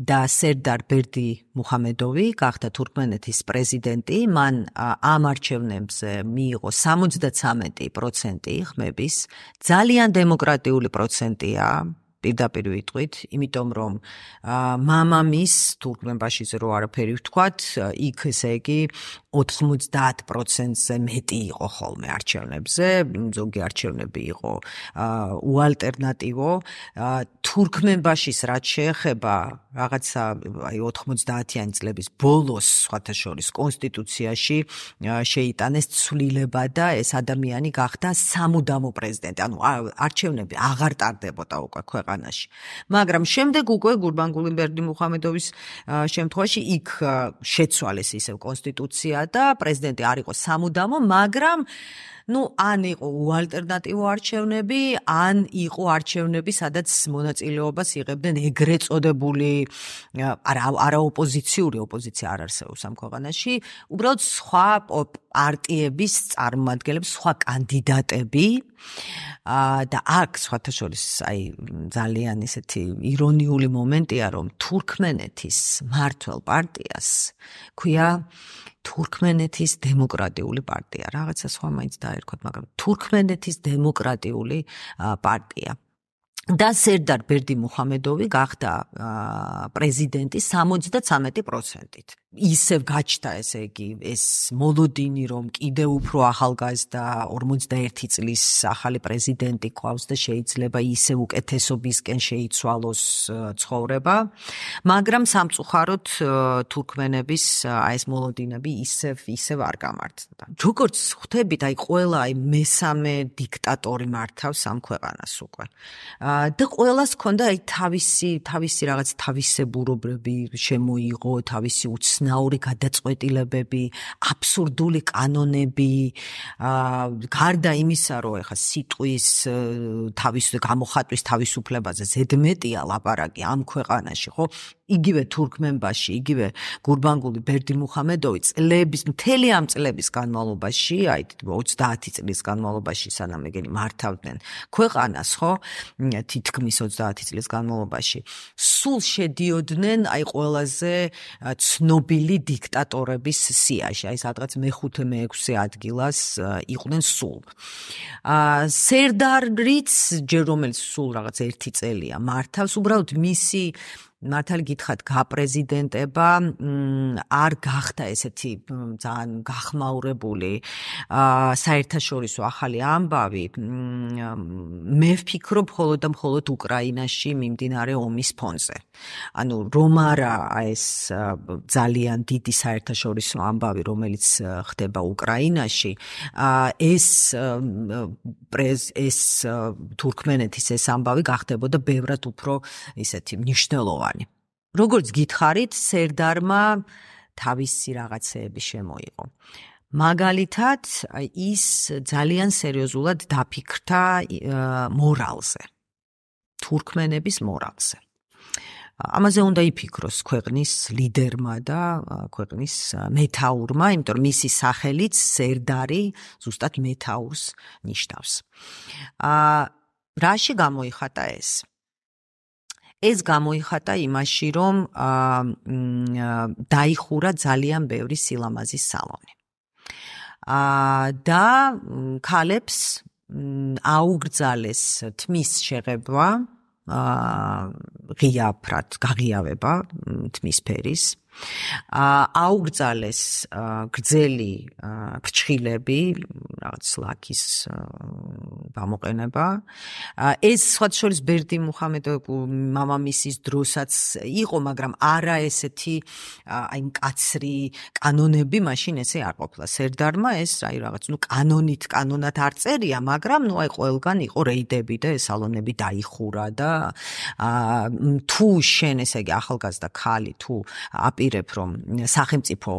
და სერდარ ბერდიმუხამედოვი გახდა თურქმენეთის პრეზიდენტი. მან ამ არჩევნებზე მიიღო სამოცდათვრამეტი პროცენტი ხმების, ძალიან დემოკრატიული პროცენტია. პირდაპირ ვიტყვით, იმიტომ რომ მამამის თურქმენბაშიზე რო არაფერი ვთქვათ, იქ ესე იგი ოთხმოცდაათ პროცენტზე მეტი იყო ხოლმე არჩევნებზე, ზოგი არჩევნები იყო უალტერნატივო. თურქმენბაშის რაც შეეხება რაღაცა აი ოთხმოცდაათიანი წლების ბოლოს, სხვათა შორის კონსტიტუციაში შეიტანეს ცვლილება და ეს ადამიანი გახდა სამუდამო პრეზიდენტი. ანუ არჩევნები აღარ ტარდებოდა უკვე ქვეყანაში. მაგრამ შემდეგ უკვე გურბანგული ბერდიმუხამედოვის შემთხვევაში იქ შეცვალეს ისევ კონსტიტუცია და პრეზიდენტი არ იყო სამუდამო, მაგრამ ну, ან იყო უალტერნატივო არჩევნები, ან იყო არჩევნები, სადაც მონაწილეობას იღებდნენ ეგრეთ წოდებული არა არა ოპოზიციური, ოპოზიცია არ არსებობს ამ ქვეყანაში, უბრალოდ სხვა პარტიების წარმომადგენლები, სხვა კანდიდატები და აქ სხვათა შორის აი ძალიან ისეთი ირონიული მომენტია, რომ თურქმენეთის მმართველ პარტიას ქვია თურქმენეთის დემოკრატიული პარტია. რაღაცა სხვა მაინც დაერქვათ, მაგრამ თურქმენეთის დემოკრატიული პარტია. და სერდარ ბერდიმუხამედოვი გახდა პრეზიდენტი სამოცდათვრამეტი პროცენტით. ისევ გაჩნდა ესე იგი ეს მოლოდინი, რომ კიდევ უფრო ახალგაზრდა ორმოცდაერთი წლის ახალი პრეზიდენტი ყავს და შეიძლება ისევ უკეთესობისკენ შეიცვალოს ცხოვრება, მაგრამ სამწუხაროდ თურქმენების აი ეს მოლოდინები ისევ ისევ არ გამართდა. როგორც ხვდებით, აი ყველა აი მესამე დიქტატორი მართავს ამ ქვეყანას უკვე. და ყველას ჰქონდა აი თავისი თავისი რაღაც თავისებურობები შემოიღო, თავისი უცნაური გადაწყვეტილებები, აბსურდული კანონები, გარდა იმისა, რომ ეხა სიტყვის თავის გამოხატვის თავისუფლებაზე ზედმეტია ლაპარაკი ამ ქვეყანაში, ხო? იგივე თურქმენბაში, იგივე გურბანგული ბერდიმუხამედოვი წლების, მთელი ამ წლების განმავლობაში, აი ოცდაათი წლის განმავლობაში, სანამ ეგენი მართავდნენ ქვეყანას, ხო? თითქმის ოცდაათი წლის განმავლობაში, სულ შედიოდნენ აი ყველაზე ცნობილი დიქტატორების სიაში, აი სადღაც მეხუთე მეექვსე ადგილას იყვნენ სულ. სერდარიც, ჯერ რომელიც სულ რაღაც ერთი წელია მართავს, უბრალოდ მისი მართალი გითხრათ გაპრეზიდენტება არ გახდა ესეთი ძალიან გახმაურებული საერთაშორისო ახალი ამბავი. მე ვფიქრობ მხოლოდ და მხოლოდ უკრაინაში მიმდინარე ომის ფონზე. ანუ რომ არა ეს ძალიან დიდი საერთაშორისო ამბავი, რომელიც ხდება უკრაინაში, ეს ეს თურქმენეთის ეს ამბავი გახდებოდა ბევრად უფრო ისეთი მნიშვნელოვანი. როგორც გითხარით, სერდარმა თავისი რაღაცეები შემოიღო. მაგალითად, ის ძალიან სერიოზულად დაფიქრდა მორალზე, თურქმენების მორალზე. ამაზე უნდა იფიქროს ქვეყნის ლიდერმა და ქვეყნის მეთაურმა, იმიტომ რომ მისი სახელიც სერდარი ზუსტად მეთაურს ნიშნავს. რაში გამოიხატა ეს? ეს გამოიხატა იმაში, რომ დაიხურა ძალიან ბევრი სილამაზის სალონი. და ქალებს აუგრძალეს თმის შეღებვა, ღიაფრად გაღიავება თმის ფერის, აუგრძალეს გრძელი ფრჩხილები, რაღაც ლაქის გამოყენება. ეს სხვათა შორის ბერდიმუხამედოვის მამამისის დროსაც იყო, მაგრამ არა ესეთი აი მკაცრი კანონები მაშინ ესე არ ყოფილა. სერდარმა ეს აი რაღაც ნუ კანონით კანონად არ წერია, მაგრამ ნუ აი ყველგან იყო რეიდები და ეს სალონები დაიხურა და თუ შენ ესე იგი ახალგაზრდა ქალი თუ აპირებ რომ სახელმწიფო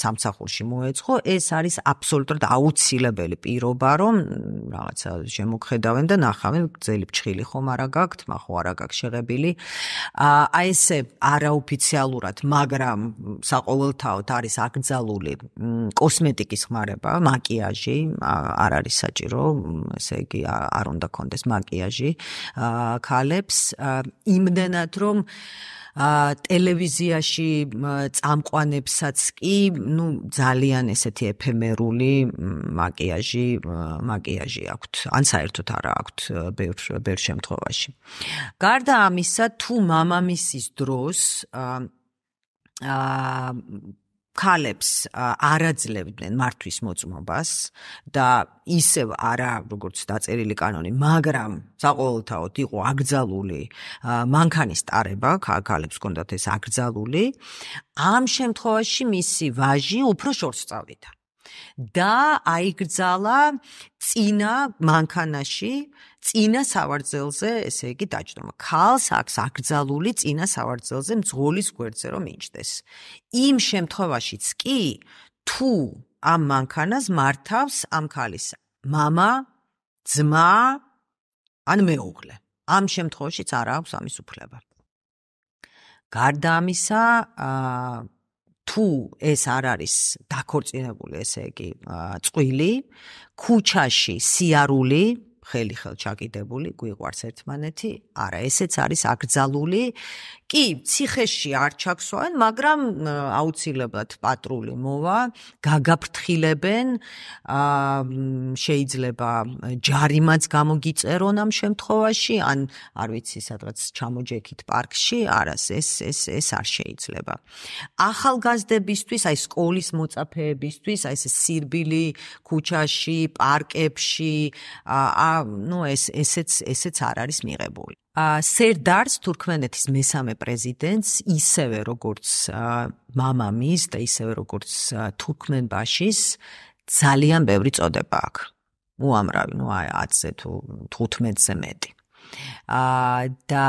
სამსახურში მოეწყო, ეს არის აბსოლუტურად აუცილებელი პირობა, რომ რაღაცა შემოგხედავენ და ნახავენ გრძელი ფრჩხილი ხომ არა გაქვთ, ხო არა გაქვთ შეღებილი. აი ესე არაოფიციალურად, მაგრამ საყოველთაოდ არის აკრძალული კოსმეტიკის ხმარება, მაკიაჟი, არ არის საჭირო, ესე იგი არ უნდა კონდეს მაკიაჟი ქალებს, იმდენად რომ ტელევიზიაში წამყვანებსაც კი, ნუ ძალიან ესეთი ეფემერული მაკიაჟი, მაკიაჟი აქვთ, ან საერთოდ არა აქვთ ბევრ ბევრ შემთხვევაში. გარდა ამისა, თუ მამამისის დროს ქალებს არ აძლევდნენ მართვის მოწმობას და ისევ არა როგორც დაწერილი კანონი, მაგრამ საყოველთაოდ იყო აკრძალული მანქანის ტარება, ქალებს ჰქონდათ ეს აკრძალული, ამ შემთხვევაში მისი ვაჟი უფრო შორს წავიდა და აიგრძალა წინა მანქანაში, წინა სავარძელზე, ესე იგი დაჯდომა. ქალს აქვს აკრძალული წინა სავარძელზე მძღოლის გვერდზე რომ მიჯდეს. იმ შემთხვევაშიც კი, თუ ამ მანქანას მართავს ამ ქალის მამა, ძმა, ან მეუღლე. ამ შემთხვევაშიც არ აქვს ამის უფლება. გარდა ამისა, თუ ეს არ არის დაქორწინებული, ესე იგი, წყვილი, ქუჩაში სიარული, ხელი ხელ ჩაკიდებული, გვიყვარს ერთმანეთი, არა, ესეც არის აკრძალული. კი, ციხეში არ ჩაქსვავენ, მაგრამ აუცილებლად პატრული მოვა, გაგაფრთხილებენ, შეიძლება ჯარიმაც გამოგიწერონ ამ შემთხვევაში, ან არ ვიცი, სადღაც ჩამოჯექით პარკში, არას, ეს ეს ეს არ შეიძლება. ახალგაზრდებისთვის, აი სკოლის მოწაფეებისთვის, აი ეს სირბილი ქუჩაში, პარკებში, ნუ ეს ესეც ესეც არ არის მიღებული. სერდარს თურქმენეთის მესამე პრეზიდენტს ისევე როგორც მამამის და ისევე როგორც თურქმენბაშის ძალიან ბევრი წოდება აქვს. უამრავი, ნუ ათზე თუ თხუთმეტზე მეტი. და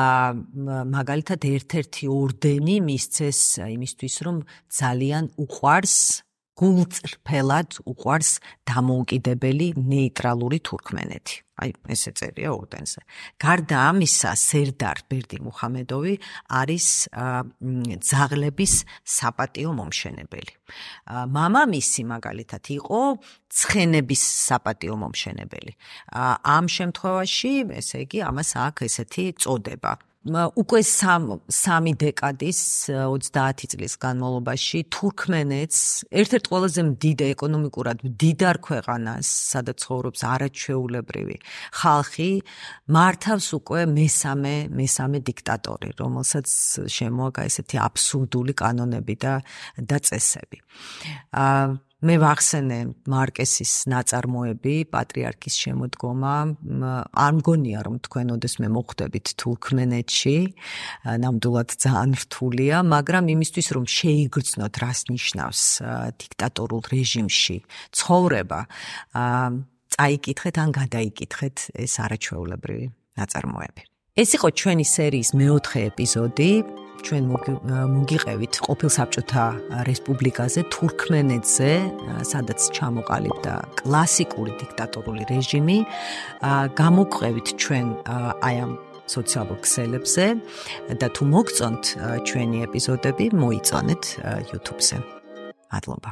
მაგალითად ერთ-ერთი ორდენი მისცეს იმისთვის, რომ ძალიან უყვარს გულწრფელად უყვარს დამოუკიდებელი ნეიტრალური თურქმენეთი. აი, ესე წერია ორდენზე. გარდა ამისა, სერდარ ბერდი მუხამედოვი არის ძაღლების საპატიო მომშენებელი. მამამისი მაგალითად იყო ცხენების საპატიო მომშენებელი. ამ შემთხვევაში, ესე იგი, ამას აქვს ესეთი წოდება. უკვე სამი დეკადის ოცდაათი წლის განმავლობაში თურქმენეთს ერთ-ერთ ყველაზე დიდ ეკონომიკურად მდიდარ ქვეყანას, სადაც ცხოვრობს არაჩვეულებრივი ხალხი, მართავს უკვე მესამე მესამე დიქტატორი, რომელსაც შემოაქვს ესეთი აბსურდული კანონები და და წესები. მე ვახსენე მარკესის ნაწარმოები, პატრიარქის შემოდგომა. არ მგონია, რომ თქვენ ოდესმე მოხვდებით თურქმენეთში, ნამდვილად ძალიან რთულია, მაგრამ იმისთვის, რომ შეიგრძნოთ, რას ნიშნავს დიქტატორულ რეჟიმში ცხოვრება, წაიკითხეთ ან გადაიკითხეთ ეს არაჩვეულებრივი ნაწარმოები. ეს იყო ჩვენი სერიის მეოთხე ეპიზოდი. ჩვენ მოგიყევით ყოფილ საბჭოთა რესპუბლიკაზე, თურქმენეთზე, სადაც ჩამოყალიბდა კლასიკური დიქტატორული რეჟიმი. გამოგვყევით ჩვენ აი ამ სოციალურ ქსელებზე და თუ მოგწონთ ჩვენი ეპიზოდები, მოიწონეთ YouTube-ზე. მადლობა.